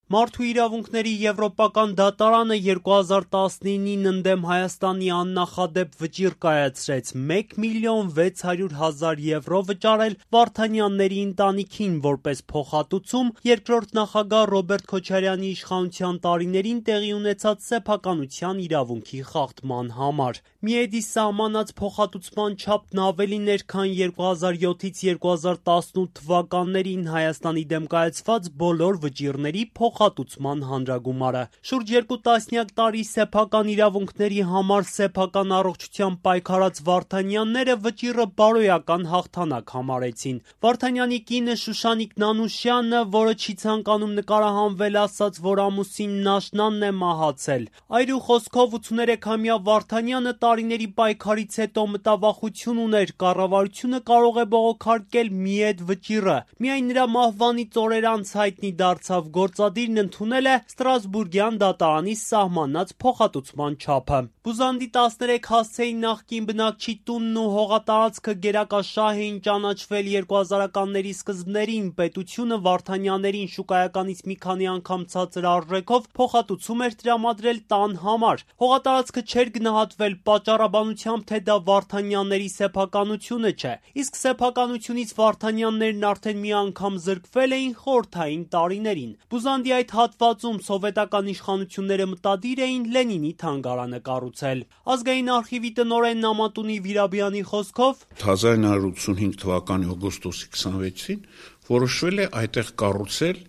Մարդու իրավունքների եվրոպական դատարանը 2019-ին ընդդեմ Հայաստանի աննախադեպ վճիռ կայացրեց 1,600,000 եվրո վճարել Վարդանյանների ընտանիքին որպես փոխհատուցում երկրորդ նախագահ Ռոբերտ Քոչարյանի իշխանության տարիներին տեղի ունեցած սեփականության իրավունքի խախտման համար։ Միեդի սահմանած փոխհատուցման չափն ավելին էր, քան 2007-ից 2018 թվականներին Հայաստանի դեմ կայացված բոլոր վճիռների փոխհատուցման հանրագումարը։ Շուրջ 2 տասնյակ տարի սեփական իրավունքների համար սեփական առողջությամբ պայքարած Վարդանյանները վճիռը բարոյական հաղթանակ համարեցին։ Վարդանյանի կինը Շուշանիկ Նանուշյանը, որը չի ցանկանում նկարահանվել, ասաց, որ ամուսինն աշնանն է մահացել։ Այրու խոսքով 83-ամյա Վարդանյանը տարիների պայքարից հետո մտավախություն ուներ, կառավարությունը կարող է բողոքարկել միեդ վճիռը։ Միայն նրա մահվանից օրեր անց հայտնի դարձավ, գործադիրն ընդունել է Ստրասբուրգյան դատարանի սահմանած փոխհատուցման չափը։ Բուզանդի 13 հասցեի նախկին բնակչի տունն ու հողատարածքը գերակաշահ էին ճանաչվել 2000-ականների սկզբներին։ Պետությունը Վարդանյաններին շուկայականից մի քանի անգամ ցածր արժեքով փոխհատուցում էր տրամադրել տան համար։ Հողատարածքը չէր գնահատվել պատճառաբանությամբ, թե դա Վարդանյանների սեփականությունը չէ, իսկ սեփականությունից Վարդանյաններն արդեն մի անգամ զրկվել էին խորհրդային տարիներին։ Բուզանդի այդ հատվածում սովետական իշխանությունները մտադիր էին Լենինի թանգարանը կառուցել։ Ազգային արխիվի տնօրեն Նամատունի Վիրաբյանի խոսքով 1985 թվականի օգոստոսի 26-ին որոշվել է այդտեղ կառուցել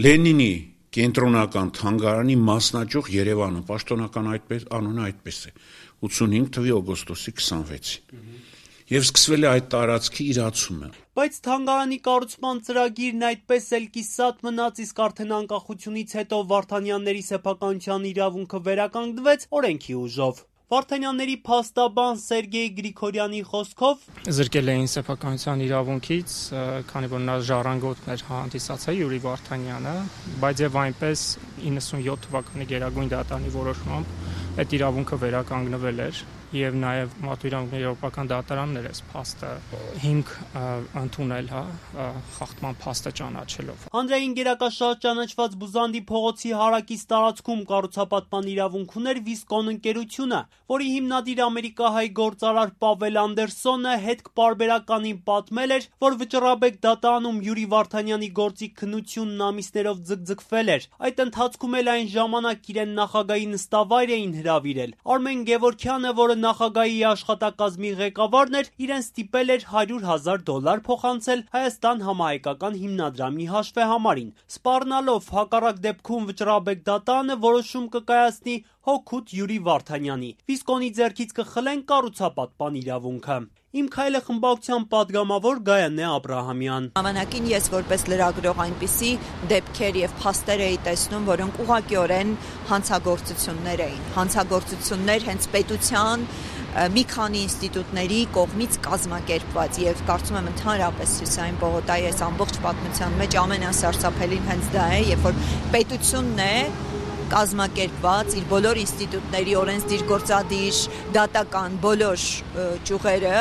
Լենինի կենտրոնական թանգարանի մասնաճյուղ Երևանը, պաշտոնական անունը այդպես է, 85 թվականի օգոստոսի 26-ին։ Եվ սկսվել է այդ տարածքի իրացումը։ Բայց թանգարանի կառուցման ծրագիրն այդպես էլ կիսատ մնաց, իսկ արդեն անկախությունից հետո Վարդանյանների սեփականության իրավունքը վերականգնվեց օրենքի ուժով։ Վարդանյանների փաստաբան Սերգեյ Գրիգորյանի խոսքով զրկել էին սեփականության իրավունքից, քանի որ նա ժառանգորդն էր հանդիսացել Յուրի Վարդանյանը, բայց եւ այնպես 97 թվականի Գերագույն դատարանի որոշմամբ այդ իրավունքը վերականգնվել էր եւ նաեւ Մարդու իրավունքների եվրոպական դատարանն էր այս փաստը հիմք ընդունել, խախտման փաստը ճանաչելով։ Հանրային գերակաշահ ճանաչված Բուզանդի փողոցի հարակից տարածքում կառուցապատման իրավունք ուներ Վիսկոն ընկերությունը, որի հիմնադիր ամերիկահայ գործարար Պավել Անդերսոնը հետք պարբերականին պատմել էր, որ Վճռաբեկ դատարանում Յուրի Վարդանյանի գործի քննությունն ամիսներով ձգձգվել էր։ Այդ ընթացքում էլ այն ժամանակ իրեն նախագահի նստավայր էին հրավիրել։ Արմեն Գևորգյանը, որը նախագահի աշխատակազմի ղեկավարն էր, իրեն ստիպել էր $100,000 փոխանցել Հայաստան համահայկական հիմնադրամի հաշվեհամարին, սպառնալով հակառակ դեպքում Վճռաբեկ դատարանը որոշում կկայացնի հօգուտ Յուրի Վարդանյանի։ Վիսկոնի ձեռքից կխլեն կառուցապատման իրավունքը։ Իմ քայլը խմբակցության պատգամավոր Գայանե Աբրահամյան։ Ժամանակին ես որպես լրագրող այնպիսի դեպքեր եւ փաստեր էի տեսնում, որոնք ուղղակիորեն հանցագործություններ էին։ Հանցագործություններ հենց պետության մի քանի ինստիտուտների կողմից կազմակերպված եւ կարծում եմ ընդհանրապես Հյուսային պողոտայի այս ամբողջ պատմության մեջ ամենասարսափելին հենց դա է, երբ որ պետությունն է կազմակերպված իր բոլոր ինստիտուտների օրենսդիր գործադիր դատական բոլոր ճյուղերը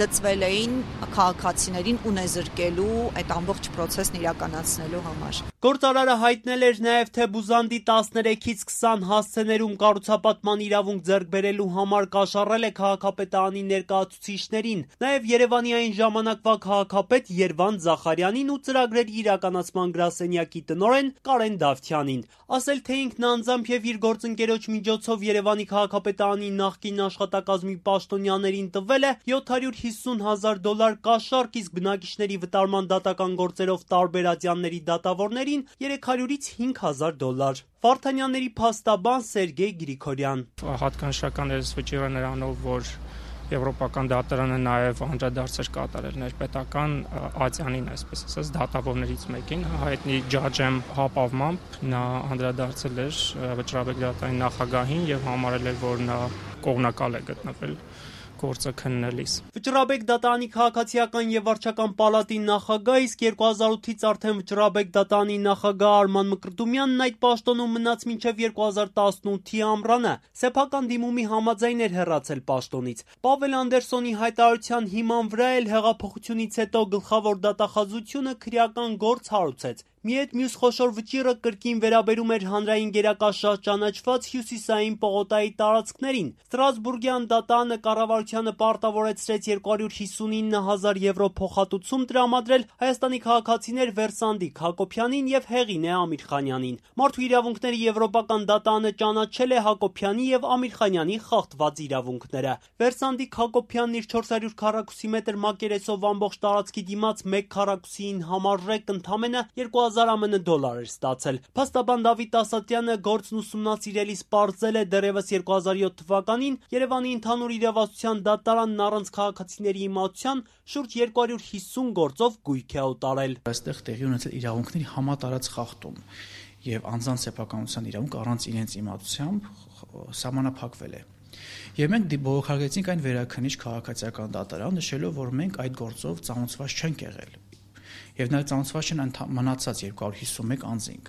լծվել էին քաղաքացիներին ունեզրկելու այդ ամբողջ process-ն իրականացնելու համար։ Գործարարը հայտնել էր նաև, թե Բուզանդի 13-ից 20 հասցեներում կառուցապատման իրավունք ձեռք բերելու համար կաշառել է քաղաքապետարանի ներկայացուցիչներին, նաև Երևանի այն ժամանակվա քաղաքապետ Երվանդ Զախարյանին ու ծրագրերի իրականացման գրասենյակի տնօրեն Կարեն Դավթյանին։ Ասել, թե ինքն անձամբ եւ իր գործընկերոջ միջոցով Երևանի քաղաքապետարանի նախկին աշխատակազմի պաշտոնյաներին տվել է $750,000 կաշառք, իսկ բնակիչների վտարման դատական գործերով տարբեր ատյանների դատավորներին $300-ից $5,000։ Վարդանյանների փաստաբան Սերգեյ Գրիգորյան։ Հատկանշական է վճիռը նրանով, որ Եվրոպական դատարանը նաև անդրադարձեր կատարել ներպետական ատյանին, այսպես ասած, դատավորներից մեկին, հայտնի Ջաջեմ հապավմամբ նա անդրադարձել էր Վճռաբեկ դատարանի նախագահին եւ համարել էր, որ նա կողմնակալ է գտնվել գործը քննելիս։ Վճռաբեկ դատարանի քաղաքացիական եւ վարչական պալատի նախագահ, իսկ 2008-ից արդեն Վճռաբեկ դատարանի նախագահ Արման Մկրտումյանն այդ պաշտոնում մնաց մինչև 2018-ի ամռանը։ Սեփական դիմումի համաձայն էր հեռացել պաշտոնից։ Պավել Անդերսոնի հայտարարության հիման վրա էլ հեղափոխությունից հետո գլխավոր դատախազությունը քրեական գործ հարուցեց։ Մի այդ մյուս խոշոր վճիռը կրկին վերաբերում էր հանրային գերակաշահ ճանաչված հյուսիսային պողոտայի տարածքներին։ Ստրասբուրգյան դատարանը կառավարությանը պարտավորեցրեց 259,000 եվրո փոխհատուցում տրամադրել Հայաստանի քաղաքացիներ Վերսանդիկ Հակոբյանին եւ Հեղինե Ամիրխանյանին։ Մարդու իրավունքների եվրոպական դատարանը ճանաչել է Հակոբյանի եւ Ամիրխանյանի խախտված իրավունքները։ Վերսանդիկ Հակոբյանն իր 400 քառակուսի մետր մակերեսով ամբողջ տարածքի դիմաց 1 քառակուսիին համարժեք ընդամենը 2000 ԱՄՆ դոլար էր ստացել։ Փաստաբան Դավիթ Ասատրյանը գործն ուսումնասիրելիս պարզել է դեռևս 2007 թվականին Երևանի ընդհանուր իրավասության դատարանն առանց քաղաքացիների իմացության շուրջ 250 գործով գույք է օտարել։ Այստեղ տեղի ունեցել իրավունքների համատարած խախտում եւ անձանց սեփականության իրավունք առանց իրենց իմացությամբ սահմանափակվել է։ Եվ մենք բողոքարկեցինք այն վերաքննիչ քաղաքացիական դատարան, նշելով, որ մենք այդ գործով ծանոթված չենք եղել։ Եվ նաև ծանոթված չեն մնացած 251 անձինք,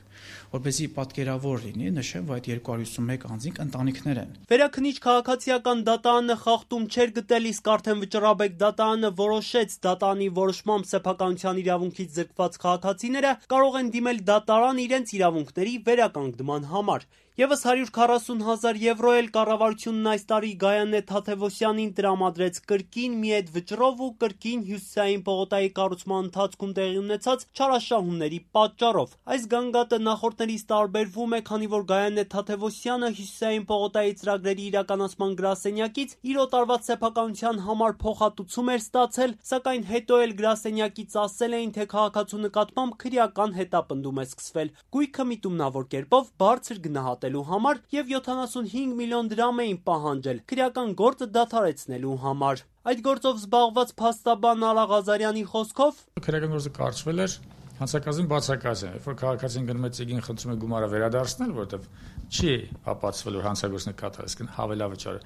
որպեսզի պատկերավոր լինի, նշեմ, որ այդ 251 անձինք ընտանիքներ են։ Վերաքննիչ քաղաքացիական դատարանը խախտում չէր գտել, իսկ արդեն Վճռաբեկ դատարանը որոշեց դատարանի որոշմամբ սեփականության իրավունքից զրկված քաղաքացիները կարող են դիմել դատարան իրենց իրավունքների վերականգնման համար։ Եվս 140,000 եվրո էլ կառավարությունն այս տարի Գայանե Թադևոսյանին տրամադրեց կրկին մի այդ վճռով ու կրկին հյուսիսային պողոտայի կառուցման ընթացքում տեղի ունեցած չարաշահումների պատճառով։ Այս գանգատը նախորդներից տարբերվում է, քանի որ Գայանե Թադևոսյանը հյուսիսային պողոտայի ծրագրերի իրականացման գրասենյակից իր օտարված սեփականության համար փոխհատուցում էր ստացել, սակայն հետո էլ գրասենյակից ասել էին, թե քաղաքացու նկատմամբ քրեական հետապնդում է սկսվել։ Գույքը միտումնավոր կերպով բարձր գնահատելու համար եւ 75 միլիոն դրամ էին պահանջել քրեական գործը դադարեցնելու համար։ Այդ գործով զբաղված փաստաբան Արա Ղազարյանի խոսքով քրեական գործը կարճվել էր հանցակազմին բացակայել, երբ որ քաղաքացին գնում է ծիգին խնդրում է գումարը վերադարձնել, որովհետև չի ապացվել որ հանցագործն է կատարել, իսկ հավելավճարը։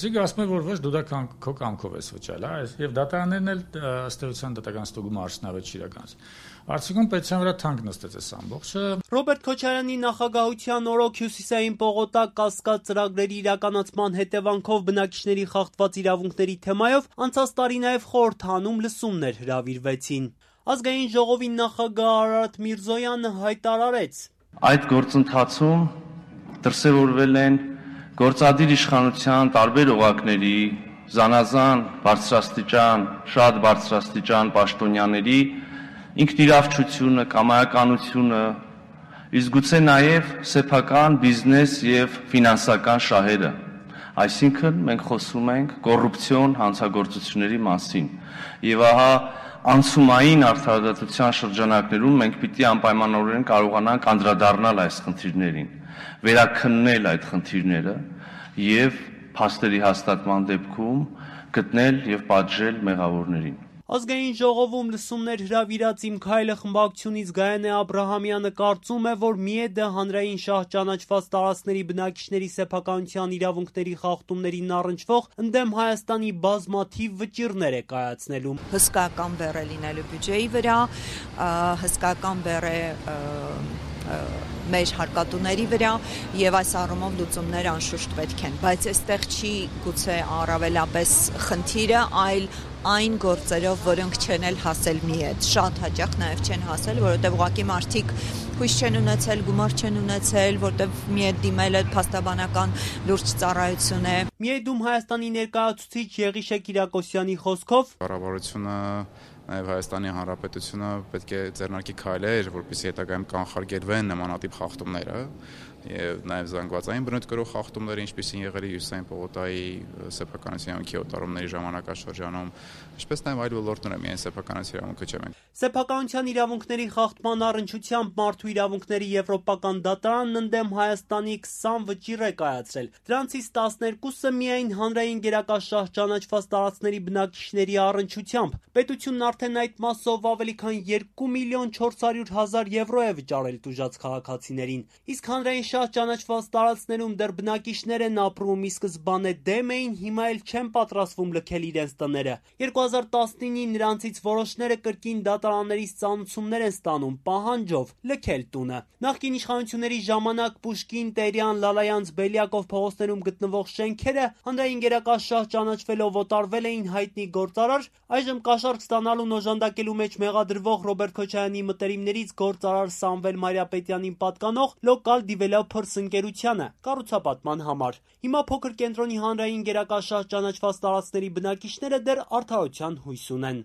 Ծիգը ասում է, որ ոչ դու դա քո կամքով ես վճարել, հա, եւ դատարաններն էլ ըստ էության դատական ստուգումը արդյունավետ չի իրականացել։ Արդյունքում պետության վրա թանկ նստեց այս ամբողջը։ Ռոբերտ Քոչարյանի նախագահության օրոք հյուսիսային պողոտա կասկած ծրագրերի իրականացման հետևանքով բնակիչների խախտված իրավունքների թեմայով անցած տարի նաև խորհրդանում լսումներ հրավիրվեցին։ Ազգային ժողովի նախագահ Արարատ Միրզոյանը հայտարարեց. Այդ գործընթացում դրսևորվել են գործադիր իշխանության տարբեր օղակների, զանազան բարձրաստիճան, շատ բարձրաստիճան պաշտոնյաների ինքնիրավչությունը, կամայականությունը, իսկ գուցե նաև սեփական բիզնես եւ ֆինանսական շահերը։ Այսինքն մենք խոսում ենք կոռուպցիոն հանցագործությունների մասին։ Եվ ահա անցումային արդարադատության շրջանակներում մենք պիտի անպայմանորեն կարողանանք անդրադառնալ այս խնդիրներին, վերաքննել այդ խնդիրները եւ փաստերի հաստատման դեպքում գտնել եւ պատժել մեղավորներին։ Ազգային ժողովում լսումներ հրավիրած Իմ քայլը խմբակցությունից Գայանե Աբրահամյանը կարծում է, որ ՄԻԵԴ-ը հանրային շահ ճանաչված տարածքների բնակիչների սեփականության իրավունքների խախտումներին առնչվող ընդդեմ Հայաստանի բազմաթիվ վճիռներ է կայացնելու։ Հսկական բեռ է լինելու բյուջեի վրա, հսկական բեռ է մեր հարկատուների վրա եւ այս առումով լուծումներ անշուշտ պետք են, բայց այստեղ չի գուցե առավելապես խնդիրը, այլ այն գործերով, որոնք չեն էլ հասել ՄԻԵԴ, շատ հաճախ նաև չեն հասել, որովհետև ուղղակի մարդիկ հույս չեն ունեցել, գումար չեն ունեցել, որտեղ ՄԻԵԴ դիմելը փաստաբանական լուրջ ծառայություն է։ ՄԻԵԴ-ում Հայաստանի ներկայացուցիչ Եղիշե Կիրակոսյանի խոսքով կառավարությունը նաև Հայաստանի Հանրապետությունը պետք է ձեռնարկի քայլեր, որպեսզի հետագայում կանխարգելվեն նմանատիպ խախտումները եւ նաեւ զանգվածային բնույթ կրող խախտումները, ինչպիսին եղել է հյուսիսային պողոտայի սեփականության իրավունքի օտարումների ժամանակաշրջանում, ինչպես նաեւ այլ ոլորտներ, միայն սեփականության իրավունքը չէ։ Սեփականության իրավունքների խախտման առնչությամբ Մարդու իրավունքների եվրոպական դատարանն ընդդեմ Հայաստանի 20 վճիռ է կայացրել։ Դրանցից 12-ը միայն հանրային գերակաշահ ճանաչված տարածքների բնակիչների առնչությամբ։ Պետությունն արդեն այդ մասով ավելի քան 2 միլիոն 400 հազար եվրո է վճարել տուժած քաղաքացիներին, իսկ հանրային գերակաշահ ճանաչված տարածքներում դեռ բնակիչներ են ապրում, ի սկզբանե դեմ էին, հիմա էլ չեն պատրաստվում լքել իրենց տները։ 2019-ին նրանցից որոշները կրկին դատարաններից ծանուցումներ են ստանում, պահանջով լքել տունը։ Նախկին իշխանությունների ժամանակ Պուշկին, Տերյան, Լալայանց, Բելյակով փողոցներում գտնվող շենքերը հանրային գերակաշահ ճանաչվելով օտարվել էին հայտնի գործարար, այժմ կաշառք ստանալուն օժանդակելու մեջ մեղադրվող Ռոբերտ Քոչարյանի մտերիմներից գործարար Սամվել Մարիապետյանին պատկանող Local Developers ընկերությանը կառուցապատման համար։ Հիմա փոքր կենտրոնի հանրային գերակաշահ ճանաչված տարածքների բնակիչները դեռ արդարության հույս ունեն։